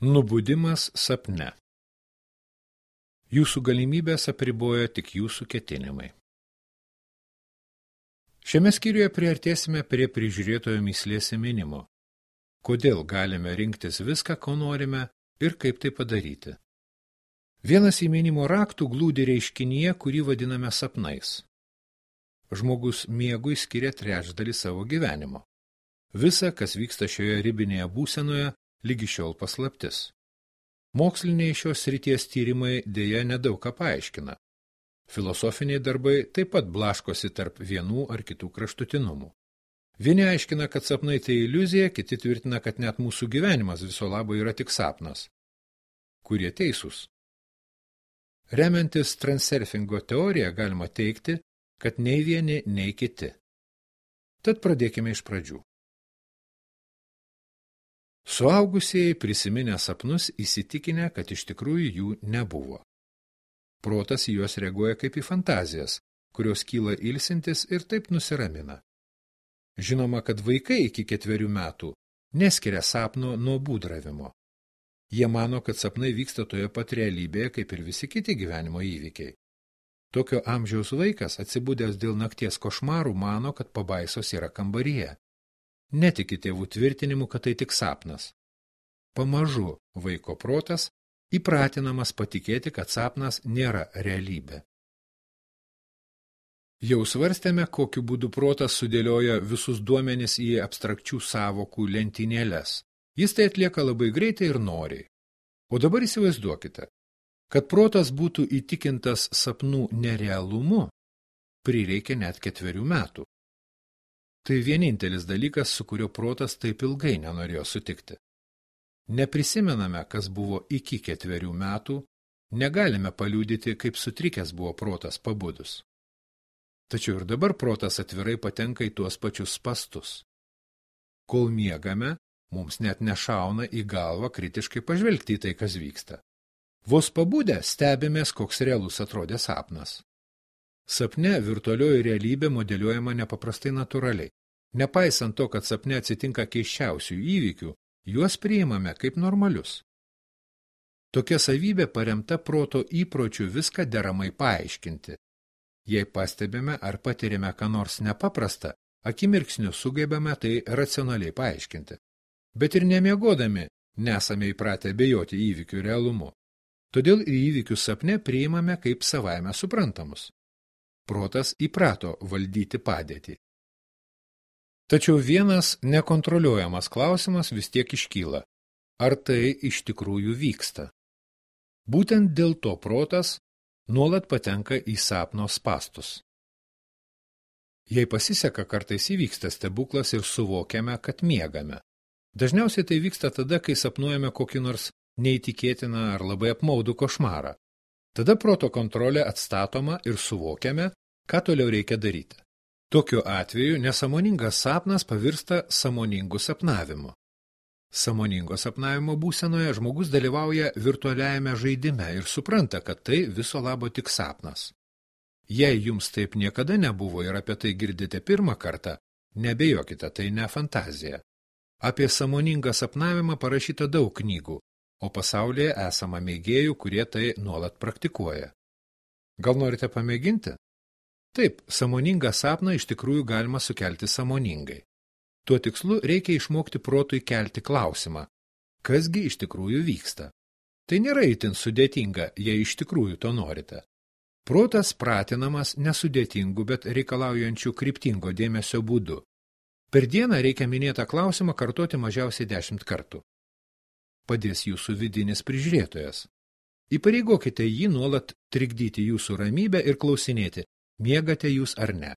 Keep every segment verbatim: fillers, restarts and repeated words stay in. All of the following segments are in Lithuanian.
Nubudimas sapne. Jūsų galimybės apriboja tik jūsų ketinimai. Šiame skyriuje priartėsime prie prižiūrėtojo mįslės įminimo. Kodėl galime rinktis viską, ko norime ir kaip tai padaryti. Vienas įminimo raktų glūdi reiškinyje, kurį vadiname sapnais. Žmogus miegui skiria trečdalį savo gyvenimo. Visa, kas vyksta šioje ribinėje būsenoje, lygi šiol paslaptis. Moksliniai šios srities tyrimai dėja nedaug ką paaiškina. Filosofiniai darbai taip pat blaškosi tarp vienų ar kitų kraštutinumų. Vieni aiškina, kad sapnai tai iliuzija, kiti tvirtina, kad net mūsų gyvenimas viso labo yra tik sapnas. Kurie teisūs? Remiantis transurfingo teoriją galima teigti, kad nei vieni, nei kiti. Tad pradėkime iš pradžių. Suaugusieji prisiminę sapnus įsitikinę, kad iš tikrųjų jų nebuvo. Protas į juos reaguoja kaip į fantazijas, kurios kyla ilsintis ir taip nusiramina. Žinoma, kad vaikai iki ketverių metų neskiria sapno nuo būdravimo. Jie mano, kad sapnai vyksta toje pat realybėje, kaip ir visi kiti gyvenimo įvykiai. Tokio amžiaus vaikas, atsibudęs dėl nakties košmarų, mano, kad pabaisos yra kambaryje. Netiki tėvų tvirtinimu, kad tai tik sapnas. Pamažu vaiko protas įpratinamas patikėti, kad sapnas nėra realybė. Jau svarstėme, kokiu būdu protas sudėlioja visus duomenis į abstrakčių sąvokų lentynėles. Jis tai atlieka labai greitai ir noriai. O dabar įsivaizduokite, kad protas būtų įtikintas sapnų nerealumu, prireikia net ketverių metų. Tai vienintelis dalykas, su kurio protas taip ilgai nenorėjo sutikti. Neprisimename, kas buvo iki ketverių metų, negalime paliudyti, kaip sutrikęs buvo protas pabudus. Tačiau ir dabar protas atvirai patenka į tuos pačius spastus. Kol miegame, mums net nešauna į galvą kritiškai pažvelgti į tai, kas vyksta. Vos pabudę stebimės, koks realus atrodė sapnas. Sapne virtualioji realybė modeliuojama nepaprastai natūraliai. Nepaisant to, kad sapne atsitinka keisčiausių įvykių, juos priimame kaip normalius. Tokia savybė paremta proto įpročiu viską deramai paaiškinti. Jei pastebime ar patiriame ką nors nepaprastą, akimirksniu sugebame tai racionaliai paaiškinti. Bet ir nemiegodami nesame įpratę abejoti įvykių realumu. Todėl įvykius sapne priimame kaip savaime suprantamus. Protas įprato valdyti padėtį. Tačiau vienas nekontroliuojamas klausimas vis tiek iškyla. Ar tai iš tikrųjų vyksta? Būtent dėl to protas nuolat patenka į sapno spastus. Jei pasiseka, kartais įvyksta stebuklas ir suvokiame, kad miegame. Dažniausiai tai vyksta tada, kai sapnuojame kokį nors neįtikėtiną ar labai apmaudų košmarą. Tada proto kontrolė atstatoma ir suvokiame, ką toliau reikia daryti. Tokiu atveju nesąmoningas sapnas pavirsta sąmoningu sapnavimu. Sąmoningo sapnavimo būsenoje žmogus dalyvauja virtualiajame žaidime ir supranta, kad tai viso labo tik sapnas. Jei jums taip niekada nebuvo ir apie tai girdite pirmą kartą, nebejokite, tai ne fantazija. Apie sąmoningą sapnavimą parašyta daug knygų, o pasaulyje esama mėgėjų, kurie tai nuolat praktikuoja. Gal norite pamėginti? Taip, sąmoningą sapną iš tikrųjų galima sukelti sąmoningai. Tuo tikslu reikia išmokti protui kelti klausimą, kasgi iš tikrųjų vyksta. Tai nėra itin sudėtinga, jei iš tikrųjų to norite. Protas pratinamas nesudėtingų, bet reikalaujančių kryptingo dėmesio būdu. Per dieną reikia minėtą klausimą kartoti mažiausiai dešimt kartų. Padės jūsų vidinis prižiūrėtojas. Įpareigokite jį nuolat trikdyti jūsų ramybę ir klausinėti, miegate jūs ar ne.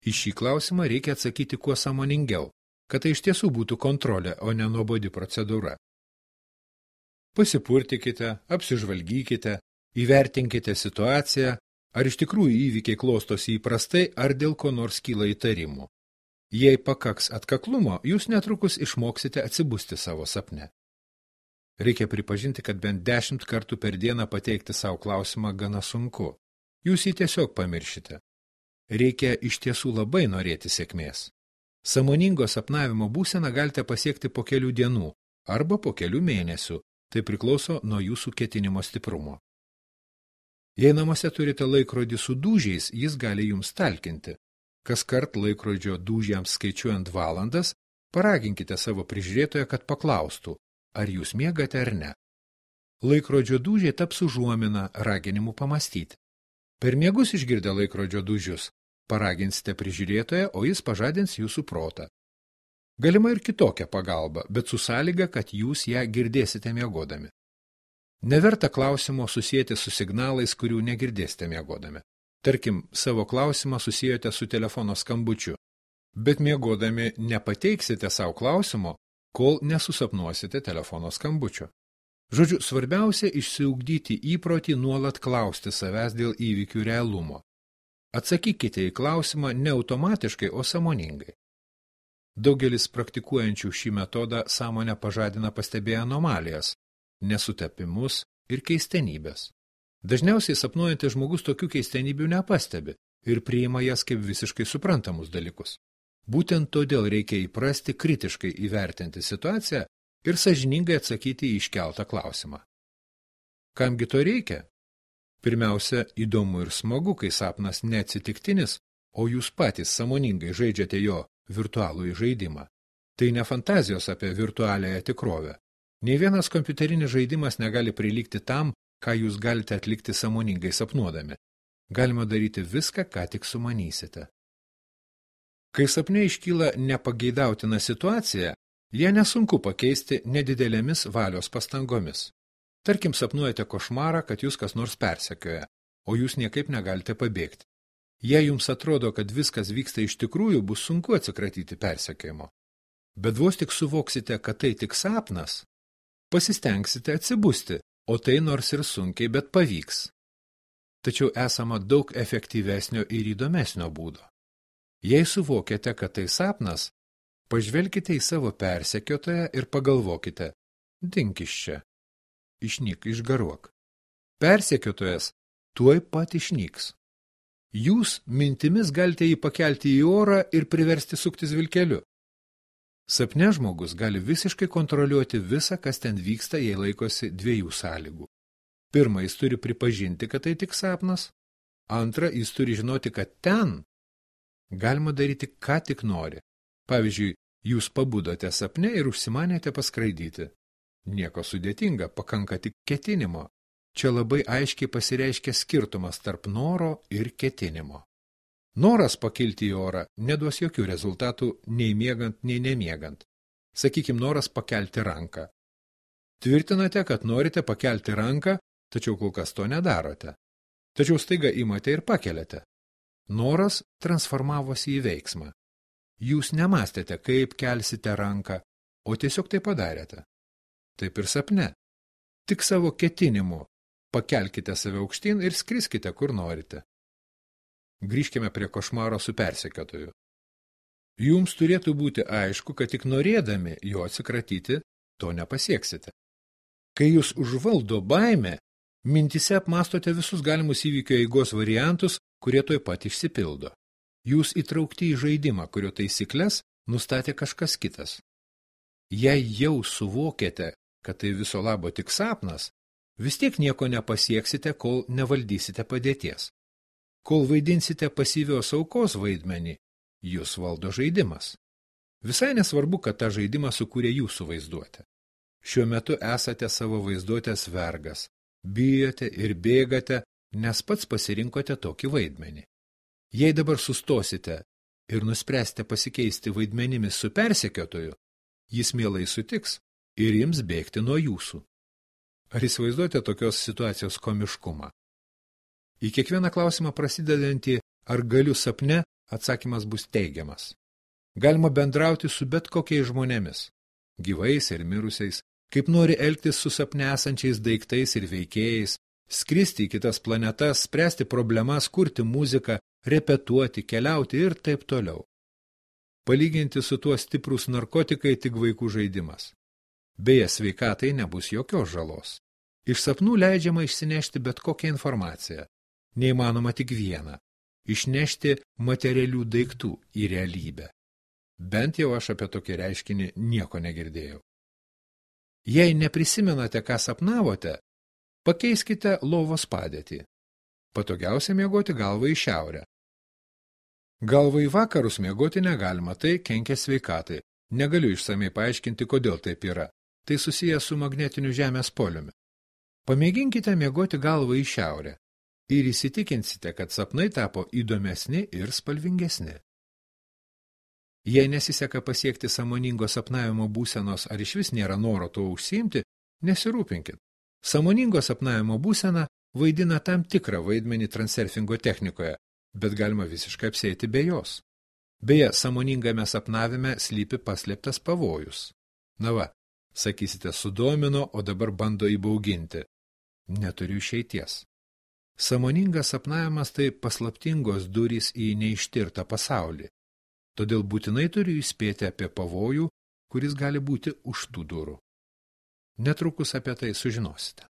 Į šį klausimą reikia atsakyti kuo sąmoningiau, kad tai iš tiesų būtų kontrolė, o ne nuobodi procedūra. Pasipurtikite, apsižvalgykite, įvertinkite situaciją, ar iš tikrųjų įvykiai klostosi įprastai, ar dėl ko nors kyla įtarimų. Jei pakaks atkaklumo, jūs netrukus išmoksite atsibusti savo sapne. Reikia pripažinti, kad bent dešimt kartų per dieną pateikti savo klausimą gana sunku. Jūs jį tiesiog pamiršite. Reikia iš tiesų labai norėti sėkmės. Sąmoningo sapnavimo būseną galite pasiekti po kelių dienų, arba po kelių mėnesių, tai priklauso nuo jūsų ketinimo stiprumo. Jei namuose turite laikrodį su dūžiais, jis gali jums talkinti. Kas kart laikrodžio dūžiams skaičiuojant valandas, paraginkite savo prižiūrėtoją, kad paklaustų, ar jūs miegate ar ne. Laikrodžio dūžiai taps užuomina raginimu pamastyti. Per miegus išgirdę laikrodžio dūžius, paraginsite prižiūrėtoją, o jis pažadins jūsų protą. Galima ir kitokia pagalba, bet su sąlyga, kad jūs ją girdėsite miegodami. Neverta klausimo susijęti su signalais, kurių negirdėsite miegodami. Tarkim, savo klausimą susijote su telefono skambučiu, bet miegodami nepateiksite savo klausimo, kol nesusapnuosite telefono skambučio. Žodžiu, svarbiausia išsiugdyti įprotį nuolat klausti savęs dėl įvykių realumo. Atsakykite į klausimą ne automatiškai, o sąmoningai. Daugelis praktikuojančių šį metodą sąmonę pažadina pastebėję anomalijas, nesutapimus ir keistenybės. Dažniausiai sapnuojantis žmogus tokių keistenybių nepastebi ir priima jas kaip visiškai suprantamus dalykus. Būtent todėl reikia įprasti kritiškai įvertinti situaciją ir sąžiningai atsakyti į iškeltą klausimą. Kamgi to reikia? Pirmiausia, įdomu ir smagu, kai sapnas neatsitiktinis, o jūs patys sąmoningai žaidžiate jo virtualųjį žaidimą. Tai ne fantazijos apie virtualiąją tikrovę. Nei vienas kompiuterinis žaidimas negali prilygti tam, ką jūs galite atlikti sąmoningai sapnuodami. Galima daryti viską, ką tik sumanysite. Kai sapne iškyla nepageidautina situacija, ją nesunku pakeisti nedidelėmis valios pastangomis. Tarkim, sapnuojate košmarą, kad jūs kas nors persekioja, o jūs niekaip negalite pabėgti. Jei jums atrodo, kad viskas vyksta iš tikrųjų, bus sunku atsikratyti persekiojimo. Bet vos tik suvoksite, kad tai tik sapnas, pasistengsite atsibusti, o tai nors ir sunkiai, bet pavyks. Tačiau esama daug efektyvesnio ir įdomesnio būdo. Jei suvokiate, kad tai sapnas, pažvelkite į savo persekiotoją ir pagalvokite, dink iš čia, išnyk, išgaruok. Persekiotojas tuoj pat išnyks. Jūs mintimis galite jį pakelti į orą ir priversti suktis vilkeliu. Sapne žmogus gali visiškai kontroliuoti visą, kas ten vyksta, jei laikosi dviejų sąlygų. Pirma, jis turi pripažinti, kad tai tik sapnas. Antra, jis turi žinoti, kad ten galima daryti, ką tik nori. Pavyzdžiui, jūs pabudote sapne ir užsimanėte paskraidyti. Nieko sudėtinga, pakanka tik ketinimo. Čia labai aiškiai pasireiškia skirtumas tarp noro ir ketinimo. Noras pakilti į orą neduos jokių rezultatų nei miegant, nei nemiegant. Sakykim, noras pakelti ranką. Tvirtinate, kad norite pakelti ranką, tačiau kol kas to nedarote. Tačiau staiga imate ir pakeliate. Noras transformavosi į veiksmą. Jūs nemastėte, kaip kelsite ranką, o tiesiog tai padarėte. Taip ir sapne. Tik savo ketinimu pakelkite save aukštyn ir skriskite, kur norite. Grįžkime prie košmaro su persekiotoju. Jums turėtų būti aišku, kad tik norėdami jo atsikratyti, to nepasieksite. Kai jūs užvaldo baimė, mintise apmastote visus galimus įvykio eigos variantus, kurie tuoj pat išsipildo. Jūs įtraukti į žaidimą, kurio taisyklės nustatė kažkas kitas. Jei jau suvokėte, kad tai viso labo tik sapnas, vis tiek nieko nepasieksite, kol nevaldysite padėties. Kol vaidinsite pasyvios aukos vaidmenį, jūs valdo žaidimas. Visai nesvarbu, kad tą žaidimą sukūrė jūsų vaizduotė. Šiuo metu esate savo vaizduotės vergas, bijote ir bėgate, nes pats pasirinkote tokį vaidmenį. Jei dabar sustosite ir nuspręsite pasikeisti vaidmenimis su persekiotoju, jis mielai sutiks ir ims bėgti nuo jūsų. Ar įsivaizduojate tokios situacijos komiškumą? Į kiekvieną klausimą prasidedantį ar galiu sapne, atsakymas bus teigiamas. Galima bendrauti su bet kokiais žmonėmis, gyvais ir mirusiais, kaip nori elgtis su sapne esančiais daiktais ir veikėjais, skristi į kitas planetas, spręsti problemas, kurti muziką, repetuoti, keliauti ir taip toliau. Palyginti su tuo stiprūs narkotikai tik vaikų žaidimas. Beje, sveikatai nebus jokios žalos. Iš sapnų leidžiama išsinešti bet kokią informaciją. Neįmanoma tik vieną – išnešti materialių daiktų į realybę. Bent jau aš apie tokį reiškinį nieko negirdėjau. Jei neprisimenate, ką sapnavote, pakeiskite lovos padėtį. Patogiausia miegoti galvą į šiaurę. Galvą į vakarus miegoti negalima, tai kenkia sveikatai. Negaliu išsamei paaiškinti, kodėl taip yra. Tai susiję su magnetiniu žemės poliumi. Pamėginkite miegoti galvą į šiaurę ir įsitikinsite, kad sapnai tapo įdomesni ir spalvingesni. Jei nesiseka pasiekti sąmoningo sapnavimo būsenos ar išvis nėra noro to užsiimti, nesirūpinkit. Sąmoningo sapnavimo būsena vaidina tam tikrą vaidmenį transurfingo technikoje, bet galima visiškai apsėti be jos. Beje, sąmoningame sapnavime slypi paslėptas pavojus. Na va, sakysite, sudomino, o dabar bando įbauginti. Neturiu išeities. Sąmoningas sapnavimas tai paslaptingos durys į neištirtą pasaulį. Todėl būtinai turiu įspėti apie pavojų, kuris gali būti už tų durų. Netrukus apie tai sužinosite.